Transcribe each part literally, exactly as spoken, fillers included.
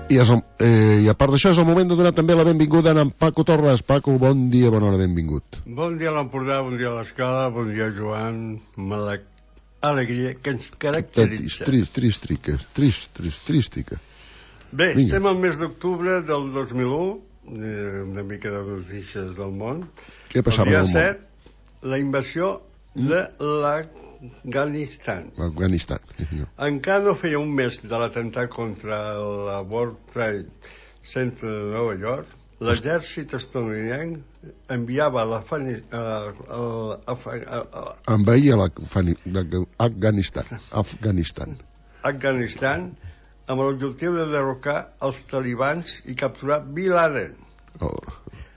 I, és el, eh, I a part d'això és el moment de donar també la benvinguda a en Paco Torres. Paco, bon dia, bona hora, benvingut. Bon dia a l'Empordà, bon dia a l'Escala, bon dia Joan, amb l'alegria que ens caracteritza. Trist, trist, trist, trist, trist, tristica. Bé, Vinga. Estem al mes d'octubre del dos mil u, eh, una mica de notícies del món. Què passava el al dia món? set, la invasió de l'Afganistan. L'Afganistan. Sí, Encara no feia un mes de l'atemptat contra la World Trade Center de Nova York, l'exèrcit estatunidenc enviava a envaïa l'Afganistan. Afganistan. Afganistan amb l'objectiu de derrocar els talibans i capturar Bin Laden. Oh.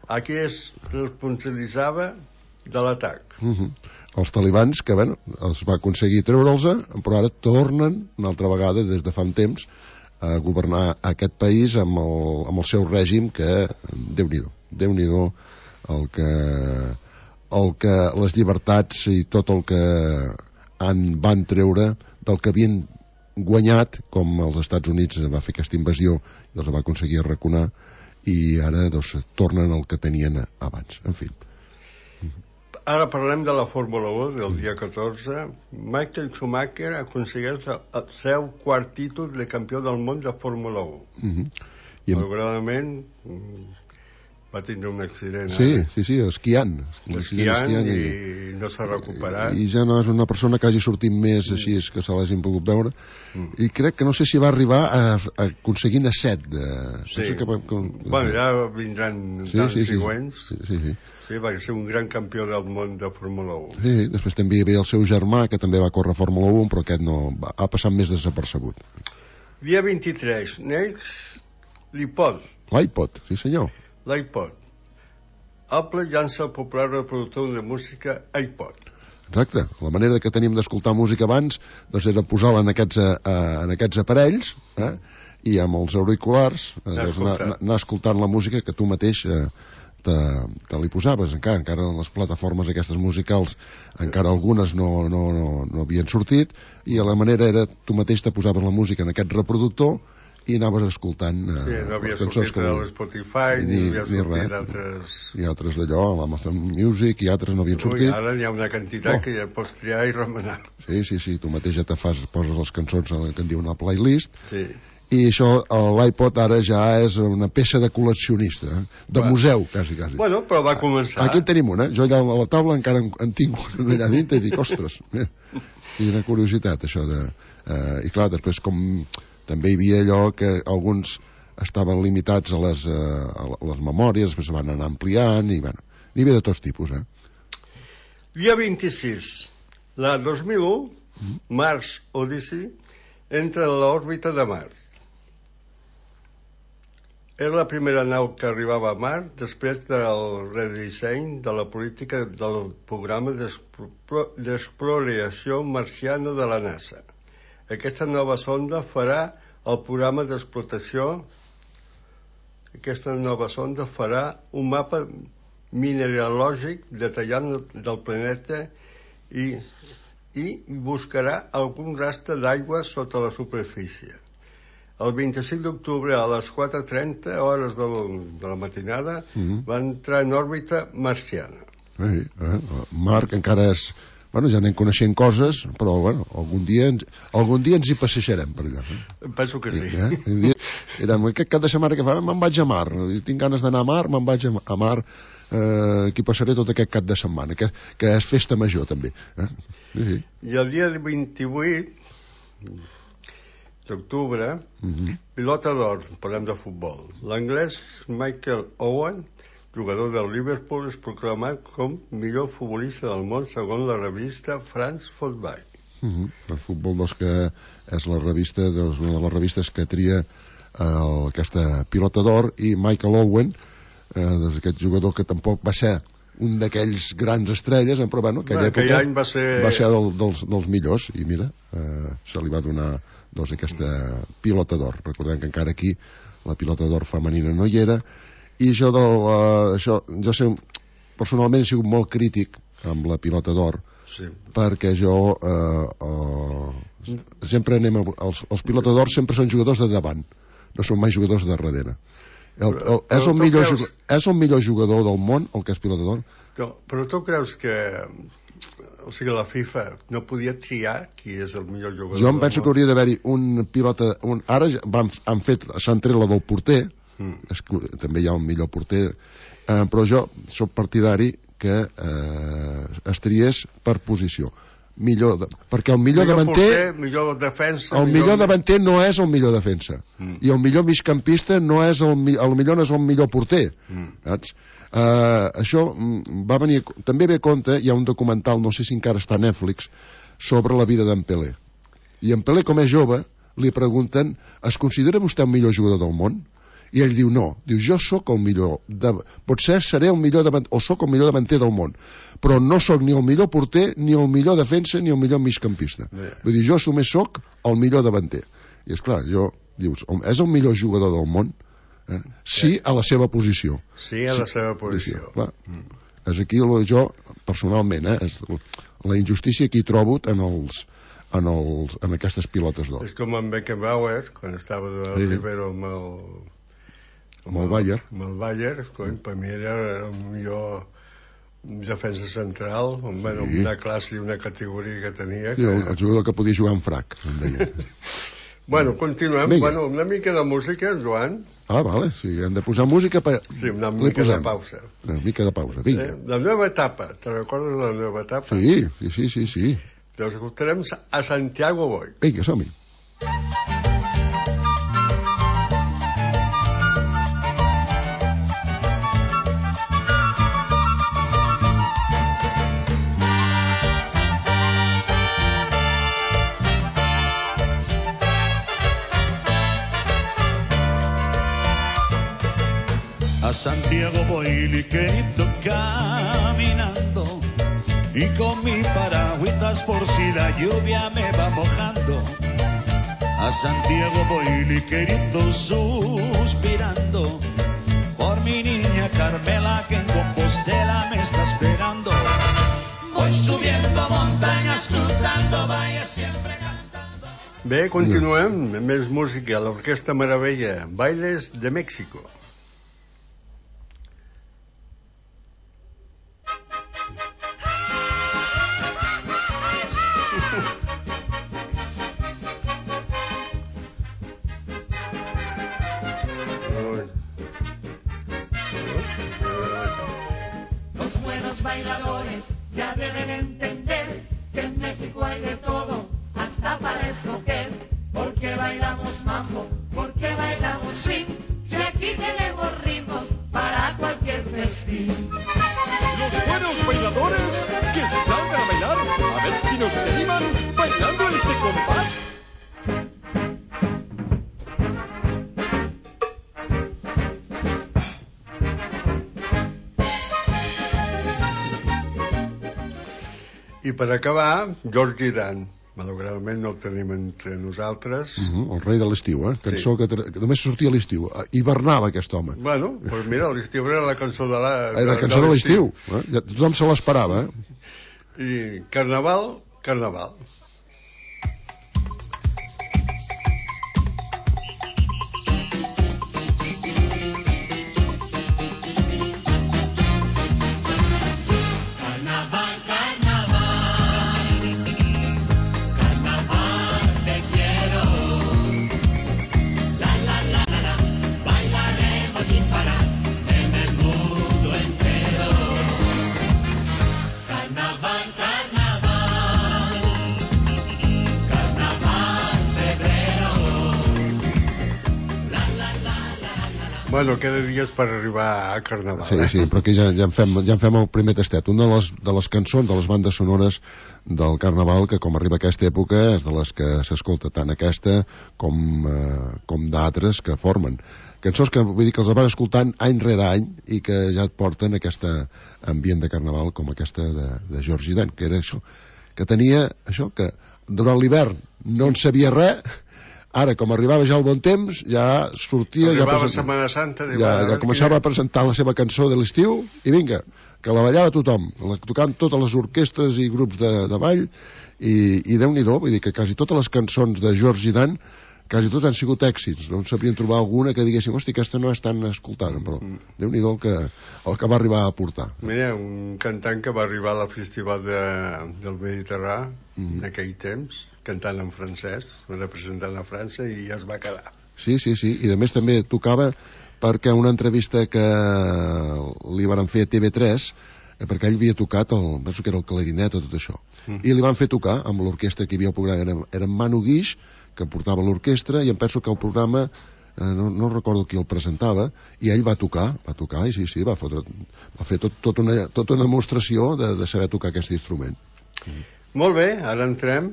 A qui es responsabilitzava de l'atac. Uh -huh. Els talibans, que bueno, es va aconseguir treure'ls, però ara tornen una altra vegada des de fa un temps a governar aquest país amb el, amb el seu règim, que Déu-n'hi-do, Déu-n'hi-do el que, el que les llibertats i tot el que han, van treure del que havien guanyat, com els Estats Units va fer aquesta invasió i els va aconseguir arraconar, i ara doncs, tornen al que tenien abans. En fi. Ara parlem de la Fórmula u del dia catorze. Michael Schumacher aconsegueix el seu quart títol de campió del món de Fórmula u. Uh-huh. I malauradament va tindre un accident. Sí, ara. sí, sí, esquiant. Esquiant, esquiant i, i no s'ha recuperat. I, I ja no és una persona que hagi sortit més així, és que se l'hagin pogut veure. Mm. I crec que no sé si va arribar a, a aconseguir a set de... Sí. No sé que, com, bueno, ja vindran sí, anys sí, sí, següents. Sí, sí, sí. Sí, va ser un gran campió del món de Fórmula u. Sí, després també hi havia el seu germà, que també va córrer Fórmula u, però aquest no va, ha passat més desapercebut. Dia vint-i-tres, neix l'iPod. L'iPod, sí senyor. L'iPod. Apple llança el popular reproductor de música iPod. Exacte, la manera que teníem d'escoltar música abans doncs era posar-la en aquests, uh, en aquests aparells, eh? I amb els auriculars uh, doncs anar, anar escoltant la música que tu mateix uh, te, te li posaves. Encara, encara en les plataformes aquestes musicals encara algunes no, no, no, no havien sortit, i la manera era tu mateix te posaves la música en aquest reproductor i anaves escoltant uh, sí, no havia sortit de l'Spotify ni, ni havia sortit d'altres i altres d'allò, l'Amazon Music i altres no havien sortit. Ui, ara n'hi ha una quantitat oh. que ja pots triar i remenar. Sí, sí, sí, tu mateix ja te fas, poses les cançons en el que en diu una playlist. Sí. I això, l'iPod ara ja és una peça de col·leccionista, eh? de bueno. museu, quasi, quasi. Bueno, però va començar. Aquí en tenim una, eh? Jo allà a la taula encara en, en tinc una allà dintre i dic, ostres, eh? I una curiositat, això de... Eh, I clar, després com també hi havia allò que alguns estaven limitats a les, eh, a les memòries, després se van anar ampliant, i bueno, n'hi havia de tots tipus, eh? Dia vint-i-sis, la dos mil u, mm. Mars Odyssey entra en l'òrbita de Mart. Era la primera nau que arribava a Mart després del redisseny de la política del programa d'exploració marciana de la NASA. Aquesta nova sonda farà el programa d'explotació aquesta nova sonda farà un mapa mineralògic detallant del planeta i, i buscarà algun rastre d'aigua sota la superfície. El vint-i-cinc d'octubre a les quatre trenta hores de la, de la matinada mm-hmm. va entrar en òrbita marciana. Sí, eh? Marc encara és... Bueno, ja anem coneixent coses, però bueno, algun dia ens, algun dia ens hi passejarem per allà. Eh? Penso que sí. Eh? Era, aquest cap de setmana que fa, me'n vaig a Mar, tinc ganes d'anar a Mar, me'n vaig a Mar, eh, aquí passaré tot aquest cap de setmana, que, que és festa major també. Eh? Sí. I el dia vint-i-vuit d'octubre, uh-huh. pilota d'or, parlem de futbol. L'anglès Michael Owen, jugador del Liverpool, és proclamat com millor futbolista del món segons la revista France Football. Uh-huh. El futbol, doncs, que és la revista, doncs, una de les revistes que tria eh, aquesta pilota d'or, i Michael Owen, eh, doncs, aquest jugador que tampoc va ser un d'aquells grans estrelles, però bueno, aquella bueno, època any va ser, va ser del, dels, dels millors, i mira, eh, se li va donar doncs, aquesta pilota d'or. Recordem que encara aquí la pilota d'or femenina no hi era. I això, del, uh, això jo sé, personalment he sigut molt crític amb la pilota d'or, sí. perquè jo uh, uh, sempre anem a, els, els pilota d'or sempre són jugadors de davant, no són mai jugadors de darrere. El, el, és, el millor, creus... és el millor jugador del món, el que és pilota d'or. No, però tu creus que, o sigui, la FIFA no podia triar qui és el millor jugador? Jo em penso que hauria d'haver-hi un pilota... Un... Ara van, han fet, s'han tret la del porter, mm. es, també hi ha un millor porter, eh, però jo soc partidari que eh, es triés per posició. Millor de, perquè el millor, millor davanter porter, millor defensa, el millor, millor davanter no és el millor defensa mm. i el millor migcampista no és el, el millor no és el millor porter, mm. saps? Uh, això va venir també ve a compte, hi ha un documental, no sé si encara està a Netflix, sobre la vida d'en Pelé, i en Pelé com és jove li pregunten, es considera vostè el millor jugador del món? I ell diu no, diu jo sóc el millor de... potser seré el millor davanter, o sóc el millor davanter del món, però no sóc ni el millor porter, ni el millor defensa, ni el millor migcampista. Yeah. Vull dir, jo només sóc el millor davanter. I és clar, jo, dius, és el millor jugador del món? Eh? Sí, a la seva posició. Sí, a la sí, seva posició. posició clar. Mm. És aquí jo, personalment, eh, és la injustícia que hi trobo en els... En, els, en aquestes pilotes d'or. És com en Beckenbauer, quan estava de sí. Rivero amb el... amb el Bayern. Amb el Bayern, coi, per mi era el millor defensa central, amb sí. una classe i una categoria que tenia. Sí, que... el, el jugador que podia jugar en frac, em deia. Bueno, continuem. Bueno, una mica de música, Joan. Ah, vale, sí, hem de posar música per... Sí, una mica de pausa. Una mica de pausa, vinga. Eh, la nova etapa, te recordes la nova etapa? Sí, sí, sí, sí, sí. Doncs escoltarem a Santiago Boy. Vinga, som-hi. A Santiago voy ligerito caminando y con mi paragüitas por si la lluvia me va mojando. A Santiago voy ligerito suspirando por mi niña Carmela que en Compostela me está esperando. Voy subiendo montañas, cruzando valles, siempre cantando. Bé, continuem, més música, l'Orquestra Meravella, Bailes de México. Bailadores ya deben entender que en México hay de todo, hasta para escoger. Porque bailamos mambo, porque bailamos swing, si aquí tenemos ritmos para cualquier festín. Los buenos bailadores que salgan a bailar, a ver si nos animan bailando este compás. I per acabar, George Dan. Malauradament no el tenim entre nosaltres. Uh -huh, el rei de l'estiu, eh? Cançó sí. que, que només sortia a l'estiu. Hibernava aquest home. Bueno, doncs mira, l'estiu era la cançó de la... De, la cançó de l'estiu. Eh? Ja, tothom se l'esperava, eh? I Carnaval, Carnaval. Bueno, queda dies per arribar a Carnaval. Sí, sí, però aquí ja, ja, en fem, ja en fem el primer tastet. Una de les, de les cançons, de les bandes sonores del Carnaval, que com arriba a aquesta època és de les que s'escolta tant aquesta com, eh, com d'altres que formen. Cançons que vull dir que els vas escoltant any rere any i que ja et porten aquest ambient de Carnaval com aquesta de, de George Dan, que era això, que tenia això, que durant l'hivern no en sabia res. Ara, com arribava ja el bon temps, ja sortia... Arribava ja Setmana Santa... Ja, ja començava a presentar la seva cançó de l'estiu i vinga, que la ballava tothom, la tocant totes les orquestres i grups de, de ball, i, i Déu-n'hi-do, vull dir que quasi totes les cançons de George Dan quasi tots han sigut èxits, no en sabien trobar alguna que diguéssim, hosti, aquesta no és tan escoltada, però mm. Déu-n'hi-do el que, el que va arribar a portar. Mira, un cantant que va arribar al Festival de, del Mediterrani mm. en aquell temps, cantant en francès, representant a França, i ja es va quedar. Sí, sí, sí, i a més també tocava perquè una entrevista que li van fer a T V tres, perquè ell havia tocat, el, penso que era el clarinet o tot això, mm. i li van fer tocar amb l'orquestra que hi havia al programa, era, era en Manu Guix, que portava l'orquestra, i em penso que el programa eh, no, no recordo qui el presentava, i ell va tocar, va tocar, i sí, sí, va, fotre, va fer tot, tot una, tota una demostració de, de saber tocar aquest instrument. Mm. Molt bé, ara entrem.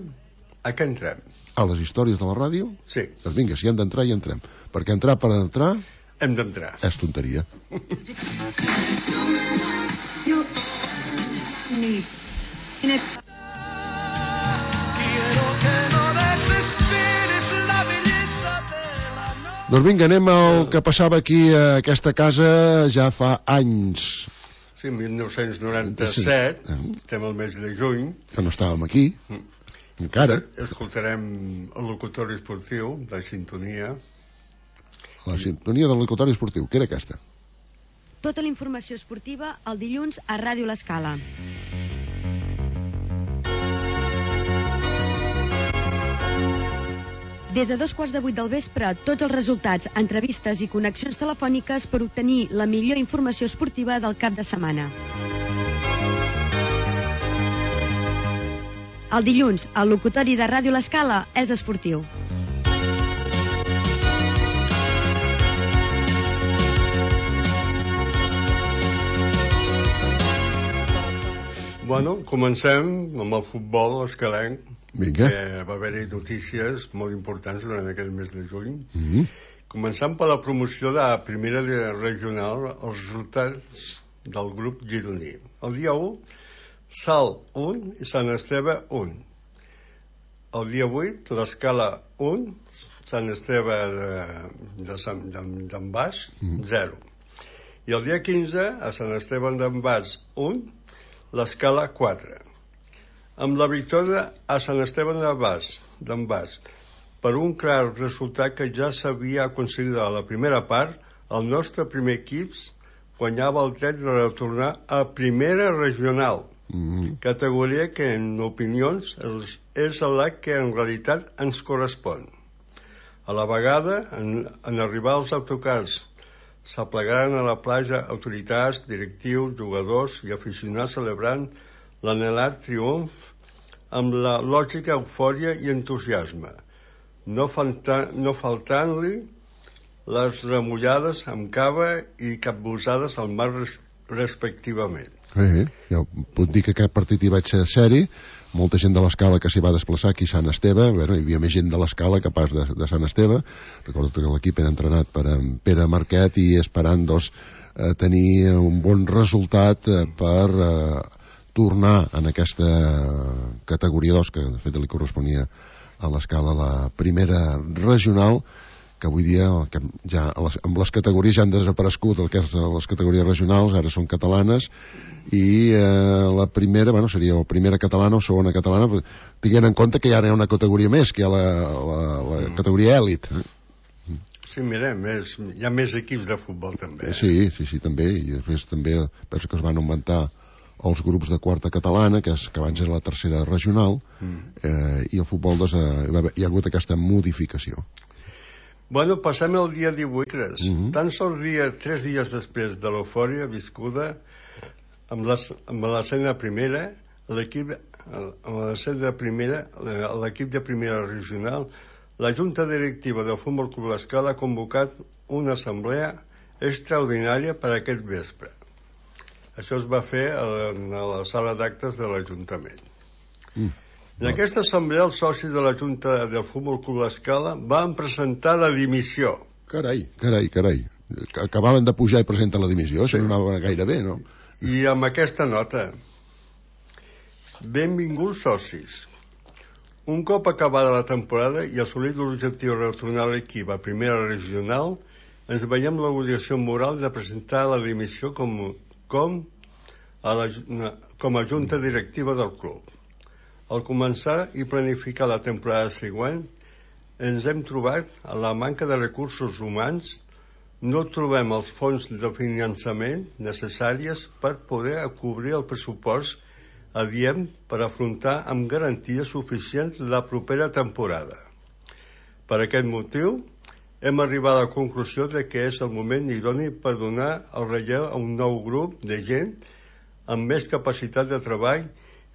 A què entrem? A les històries de la ràdio? Sí. Doncs vinga, si hem d'entrar, hi entrem. Perquè entrar per entrar... Hem d'entrar. És tonteria. Doncs vinga, anem al que passava aquí a aquesta casa ja fa anys. Sí, mil nou-cents noranta-set, sí. Estem al mes de juny. Que no estàvem aquí, mm. encara. Escoltarem el locutori esportiu, la sintonia. La sintonia del locutori esportiu, que era aquesta? Tota la informació esportiva el dilluns a Ràdio L'Escala. Des de dos quarts de vuit del vespre, tots els resultats, entrevistes i connexions telefòniques per obtenir la millor informació esportiva del cap de setmana. El dilluns, el locutori de Ràdio L'Escala és esportiu. Bueno, comencem amb el futbol escalenc. Vinga. Que va haver-hi notícies molt importants durant aquest mes de juny. Mm-hmm. Començant per la promoció de la primera regional, els resultats del grup gironí. El dia u, Salt un i Sant Esteve un. El dia vuit, l'Escala un, Sant Esteve d'en Bas, zero. I el dia quinze, a Sant Esteve d'en Bas un, l'Escala quatre. Amb la victòria a Sant Esteve d'en Bas, per un clar resultat que ja s'havia aconseguit a la primera part, el nostre primer equip guanyava el dret de retornar a primera regional, mm-hmm. categoria que en opinions és la que en realitat ens correspon. A la vegada, en, en arribar als autocars, s'aplegaren a la platja autoritats, directius, jugadors i aficionats celebrant l'anhelat triomf amb la lògica eufòria i entusiasme, no, falta, no faltant-li les remullades amb cava i capbussades al mar res, respectivament. Eh, ja puc dir que aquest partit hi vaig ser seri, molta gent de l'Escala que s'hi va desplaçar aquí a Sant Esteve, bueno, hi havia més gent de l'Escala que pas de, de Sant Esteve. Recordo que l'equip era entrenat per Pere Marquet i esperant doncs, eh, tenir un bon resultat eh, per eh, tornar en aquesta categoria dos, que de fet li corresponia a l'Escala la primera regional, que avui dia que ja les, amb les categories ja han desaparegut el que és les categories regionals, ara són catalanes, i eh, la primera, bueno, seria o primera catalana o segona catalana, tinguent en compte que ja hi ha una categoria més, que hi ha la, la, la mm. categoria èlit. Eh? Sí, mira, més, hi ha més equips de futbol també. Eh? Sí, sí, sí, també, i després també penso que es van augmentar els grups de quarta catalana, que, és, que abans era la tercera regional, mm. eh, i el futbol des, eh, hi ha hagut aquesta modificació. Bueno, passem el dia divuit. Mm-hmm. Tan sols dia, tres dies després de l'eufòria viscuda amb l'escena primera, l'equip amb l'escena primera, l'equip de primera regional, la Junta Directiva del Futbol Club L'Escala ha convocat una assemblea extraordinària per aquest vespre. Això es va fer a la sala d'actes de l'Ajuntament. Mm. En aquesta assemblea, els socis de la Junta del Futbol Club L'Escala van presentar la dimissió. Carai, carai, carai. Acabaven de pujar i presentar la dimissió, això sí. No anava gaire bé, no? I amb aquesta nota: benvinguts socis. Un cop acabada la temporada i assolit l'objectiu de retornar l'equip a primera regional, ens veiem l'obligació moral de presentar la dimissió com, com, a la, com a junta directiva del club. Al començar i planificar la temporada següent, ens hem trobat a la manca de recursos humans. No trobem els fons de finançament necessaris per poder cobrir el pressupost adient per afrontar amb garanties suficients la propera temporada. Per aquest motiu, hem arribat a la conclusió de que és el moment idoni per donar el relleu a un nou grup de gent amb més capacitat de treball,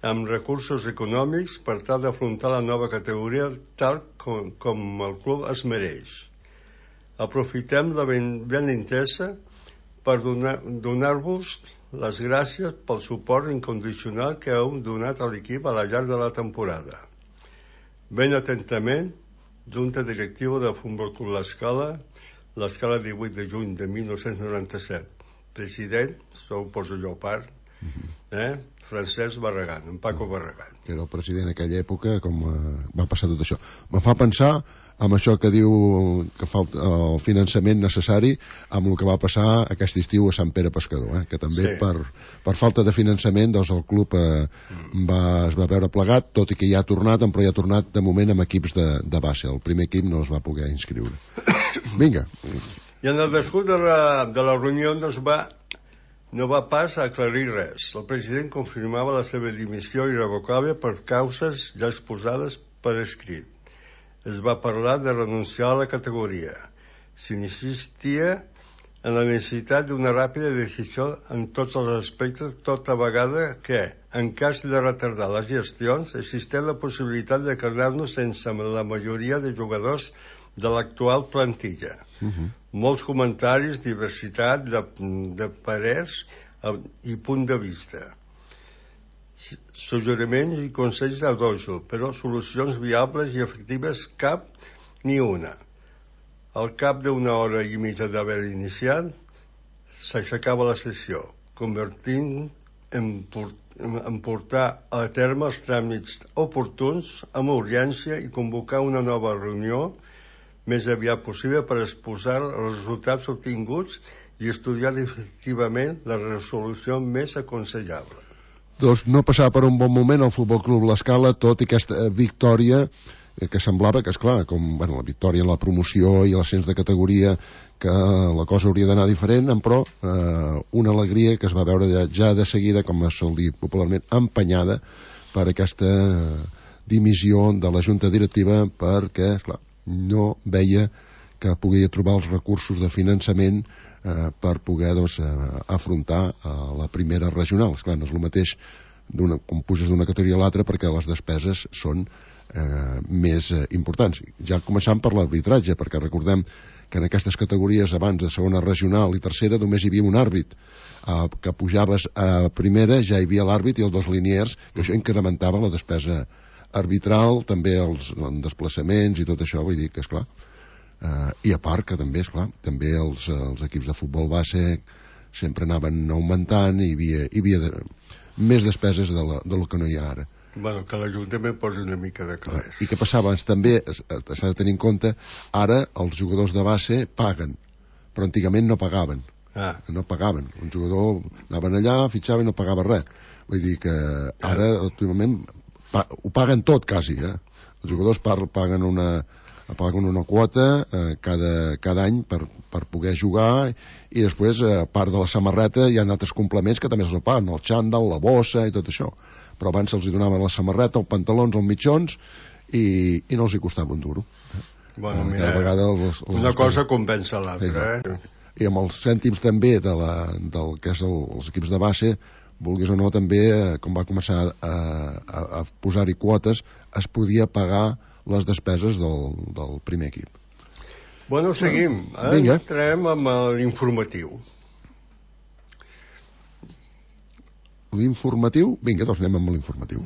amb recursos econòmics per tal d'afrontar la nova categoria tal com, com el club es mereix. Aprofitem la ben, ben intesa per donar, donar-vos les gràcies pel suport incondicional que heu donat a l'equip a la llarg de la temporada. Ben atentament, Junta Directiva del Futbol Club L'Escala, l'Escala divuit de juny de mil nou-cents noranta-set. President, sou poso jo a part, eh? Francesc Barragán, en Paco Barragán. Que era el president en aquella època, com eh, va passar tot això. Me fa pensar amb això que diu que falta el finançament necessari amb el que va passar aquest estiu a Sant Pere Pescador, eh? Que també sí. per, per falta de finançament doncs el club eh, va, es va veure plegat, tot i que ja ha tornat, però ja ha tornat de moment amb equips de, de base. El primer equip no es va poder inscriure. Vinga. I en el descurs de la, de la reunió no es va no va pas aclarir res. El president confirmava la seva dimissió irrevocable per causes ja exposades per escrit. Es va parlar de renunciar a la categoria. S'insistia en la necessitat d'una ràpida decisió en tots els aspectes, tota vegada que, en cas de retardar les gestions, existeix la possibilitat de quedar-nos sense la majoria de jugadors de l'actual plantilla. Uh-huh. Molts comentaris, diversitat de, de parers i punt de vista. Suggeriments i consells a dojo, però solucions viables i efectives cap ni una. Al cap d'una hora i mitja d'haver iniciat, s'aixecava la sessió, convertint en, en portar a terme els tràmits oportuns amb urgència i convocar una nova reunió més aviat possible per exposar els resultats obtinguts i estudiar efectivament la resolució més aconsellable. Doncs no passava per un bon moment el Futbol Club L'Escala, tot i aquesta victòria que semblava que, esclar, com bueno, la victòria en la promoció i l'ascens de categoria, que la cosa hauria d'anar diferent, però eh, una alegria que es va veure ja, ja de seguida, com es sol dir popularment, empenyada per aquesta dimissió de la Junta Directiva, perquè, esclar, no veia que podia trobar els recursos de finançament eh, per poder doncs, eh, afrontar eh, la primera regional. Esclar, no és el mateix d'una, com puges d'una categoria a l'altra, perquè les despeses són eh, més eh, importants. Ja començant per l'arbitratge, perquè recordem que en aquestes categories abans de segona regional i tercera només hi havia un àrbit. Eh, que pujaves a primera ja hi havia l'àrbit i els dos liniers, que això incrementava la despesa arbitral, també els desplaçaments i tot això, vull dir que, esclar, eh, i a part que també, esclar, també els, els equips de futbol base sempre anaven augmentant i hi havia, hi havia de, més despeses de, la, de lo que no hi ha ara. Bueno, que l'Ajuntament posi una mica de calés. I què passava? També s'ha de tenir en compte, ara els jugadors de base paguen, però antigament no pagaven. Ah. No pagaven. Un jugador anaven allà, fitxava i no pagava res. Vull dir que ara, últimament, Pa, ho paguen tot, quasi, eh? Els jugadors paguen una, paguen una quota eh, cada, cada any per, per poder jugar i després, a eh, part de la samarreta, hi ha altres complements que també se'ls paguen, el xandall, la bossa i tot això. Però abans se'ls donaven la samarreta, els pantalons, els mitjons i, i no els hi costava un duro. Bueno, mira, cada vegada els, els una cosa compensa l'altra, sí, eh? I amb els cèntims també de la, del que és el, els equips de base, vulguis o no, també, com va començar a, a, a posar-hi quotes, es podia pagar les despeses del, del primer equip. Bueno, seguim. Eh? Entrem amb l'informatiu. L'informatiu? Vinga, doncs anem amb l'informatiu.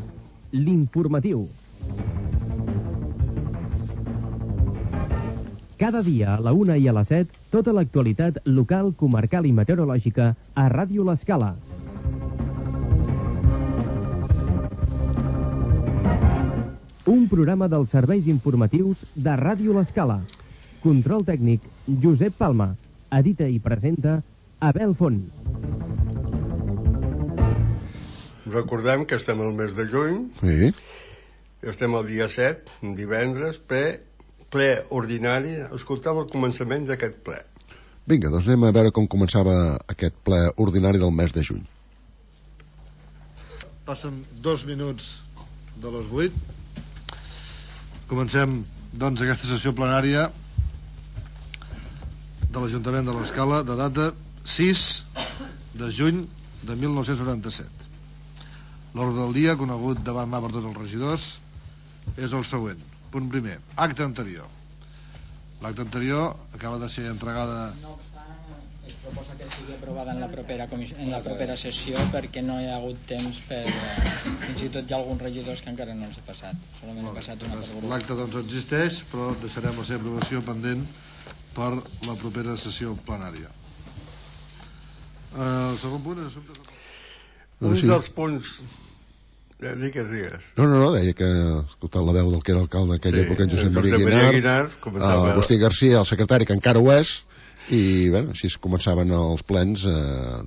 L'informatiu. Cada dia a la una i a les set, tota l'actualitat local, comarcal i meteorològica a Ràdio L'Escala. Un programa dels serveis informatius de Ràdio L'Escala. Control tècnic, Josep Palma. Edita i presenta, Abel Font. Recordem que estem al mes de juny. Sí. Estem al dia set, divendres, pre ple ordinari, escoltem el començament d'aquest ple. Vinga, doncs anem a veure com començava aquest ple ordinari del mes de juny. Passen dos minuts de les vuit. Comencem, doncs, aquesta sessió plenària de l'Ajuntament de l'Escala de data sis de juny de mil nou-cents noranta-set. L'ordre del dia, conegut davant mà per tots els regidors, és el següent. Punt primer, acte anterior. L'acte anterior acaba de ser entregada... No obstant, es proposa que sigui aprovada en la propera, en la propera sessió perquè no hi ha hagut temps per... Fins i tot hi ha alguns regidors que encara no ens ha passat. Solament ha passat una per grup. L'acte doncs existeix, però deixarem la seva aprovació pendent per la propera sessió plenària. Uh, el segon punt és assumptes... Un sí. dels punts... Digues, digues. No, no, no, deia que, escoltant la veu del que era alcalde en aquella sí, època, en Josep Maria Guinar, Guinar uh, Agustí Garcia, el secretari, que encara ho és, i bé, així començaven els plens, eh,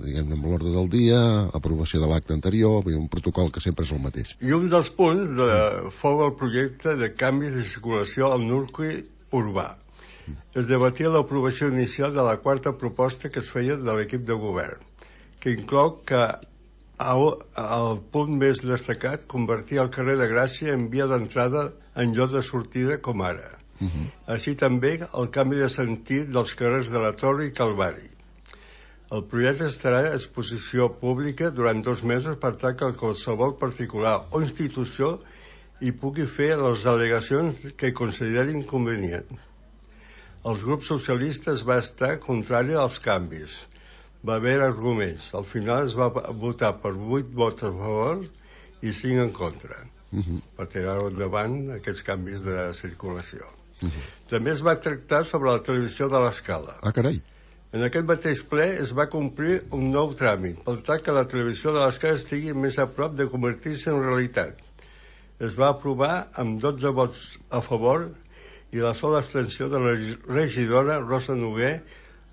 diguem-ne, amb l'ordre del dia, aprovació de l'acte anterior, un protocol que sempre és el mateix. I un dels punts de, fou el projecte de canvis de circulació al nucli urbà. Es debatia l'aprovació inicial de la quarta proposta que es feia de l'equip de govern, que inclou que el punt més destacat convertir el carrer de Gràcia en via d'entrada en lloc de sortida com ara. Uh -huh. Així també el canvi de sentit dels carrers de la Torre i Calvari. El projecte estarà a exposició pública durant dos mesos per tal que qualsevol particular o institució hi pugui fer les al·legacions que considerin convenient. Els grups socialistes va estar contrari als canvis. Va haver arguments. Al final es va votar per vuit vots a favor i cinc en contra, uh-huh. per tirar endavant aquests canvis de circulació. Uh-huh. També es va tractar sobre la televisió de l'Escala. Ah, carai. En aquest mateix ple es va complir un nou tràmit, per tal que la televisió de l'Escala estigui més a prop de convertir-se en realitat. Es va aprovar amb dotze vots a favor i la sola abstenció de la regidora Rosa Noguer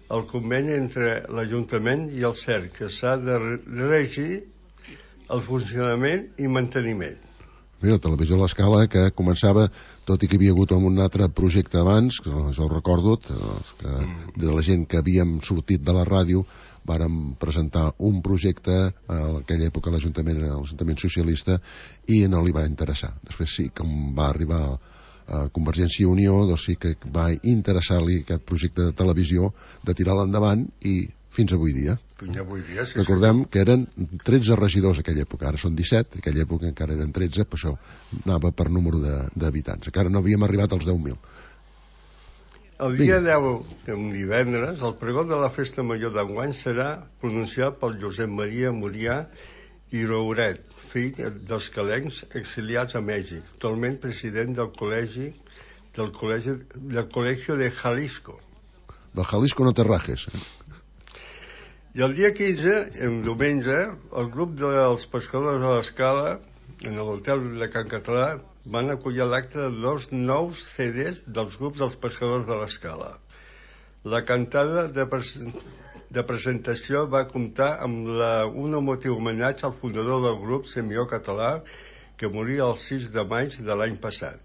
el conveni entre l'Ajuntament i el C E R, que s'ha de regir el funcionament i manteniment. Mira, la televisió de l'Escala, que començava, tot i que hi havia hagut un altre projecte abans, que jo ho recordo, que de la gent que havíem sortit de la ràdio, vàrem presentar un projecte a aquella època a l'Ajuntament, a l'Ajuntament Socialista, i no li va interessar. Després sí, com va arribar a Convergència i Unió, doncs sí que va interessar-li aquest projecte de televisió de tirar-lo endavant i fins avui dia. Fins avui dia, sí. Recordem sí. que eren tretze regidors a aquella època, ara són disset, a aquella època encara eren tretze, per això anava per número d'habitants. Encara no havíem arribat als deu mil. El dia deu, un divendres, el pregó de la Festa Major d'enguany serà pronunciat pel Josep Maria Murià i Rouret, fill dels calencs exiliats a Mèxic, actualment president del col·legi del col·legi del Col·legio de Jalisco. Del Jalisco no te rajes. Eh? I el dia quinze, en diumenge, el grup dels pescadors de l'Escala, en l'hotel de Can Català, van acollir l'acte de dos nous C Ds dels grups dels pescadors de l'Escala. La cantada de presentació de presentació va comptar amb la, un emotiu homenatge al fundador del grup Semió Català, que moria el sis de maig de l'any passat.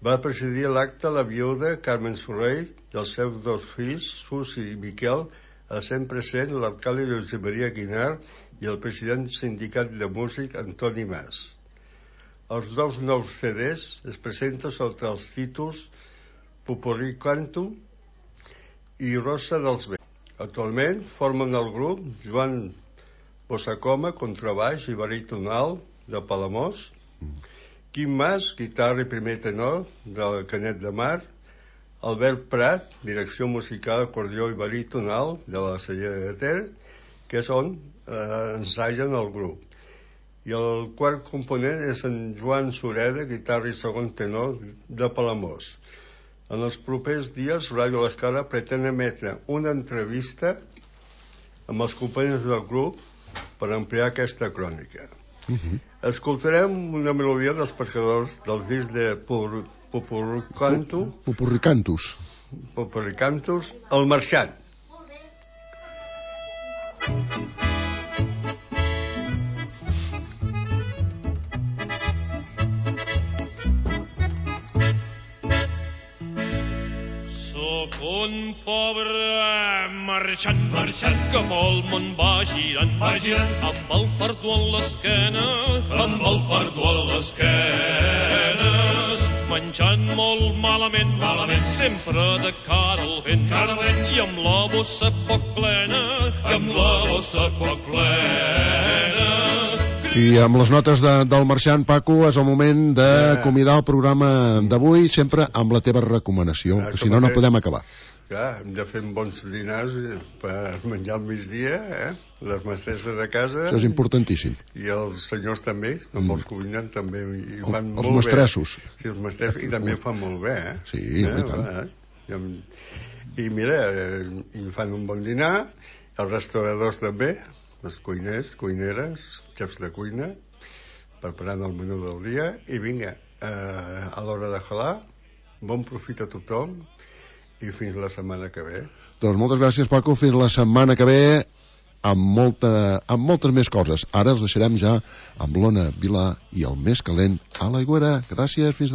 Va presidir l'acte la viuda Carmen Soler i els seus dos fills, Susi i Miquel, essent present l'alcalde Josep Maria Guinar i el president del sindicat de músic Antoni Mas. Els dos nous C Ds es presenten sota els títols Popurrí Canto i Rosa dels Vents. Actualment formen el grup Joan Bossacoma, contrabaix i baríton de Palamós, Quim Mas, guitarra i primer tenor del Canet de Mar, Albert Prat, direcció musical, acordió i baríton de la Cellera de Ter, que és on eh, ensagen el grup. I el quart component és en Joan Sureda, guitarra i segon tenor de Palamós. En els propers dies, Ràdio l'Escala pretén emetre una entrevista amb els companys del grup per ampliar aquesta crònica. Uh-huh. Escoltarem una melodia dels pescadors del disc de Popurricantus, Popurricantus, Popurricantus, El Marxant. un pobre marxant, marxant que pel món va girant, va girant amb el fardó a l'esquena, amb el fardó a l'esquena, menjant molt malament, malament, sempre de cara al vent, cara al vent, i amb la bossa poc plena, amb la bossa poc plena. I amb les notes de, del marxant, Paco, és el moment d'acomiadar el programa d'avui, sempre amb la teva recomanació, que si no, no podem acabar. Clar, hem de fer bons dinars per menjar al migdia, eh? Les mestresses de casa... Això és importantíssim. I els senyors també, amb els cuinen també i ho fan el, molt els mestressos. bé. Sí, els mestressos, i també ho fan molt bé, eh? Sí, eh? i tant. Eh? I mira, eh, i fan un bon dinar, els restauradors també, els cuiners, cuineres, xefs de cuina, preparant el menú del dia, i vinga, eh, a l'hora de jalar, bon profit a tothom, i fins la setmana que ve. Doncs moltes gràcies, Paco, fins la setmana que ve, amb, molta, amb moltes més coses. Ara els deixarem ja amb l'Ona Vilà i el més calent a l'Aigüera. Gràcies, fins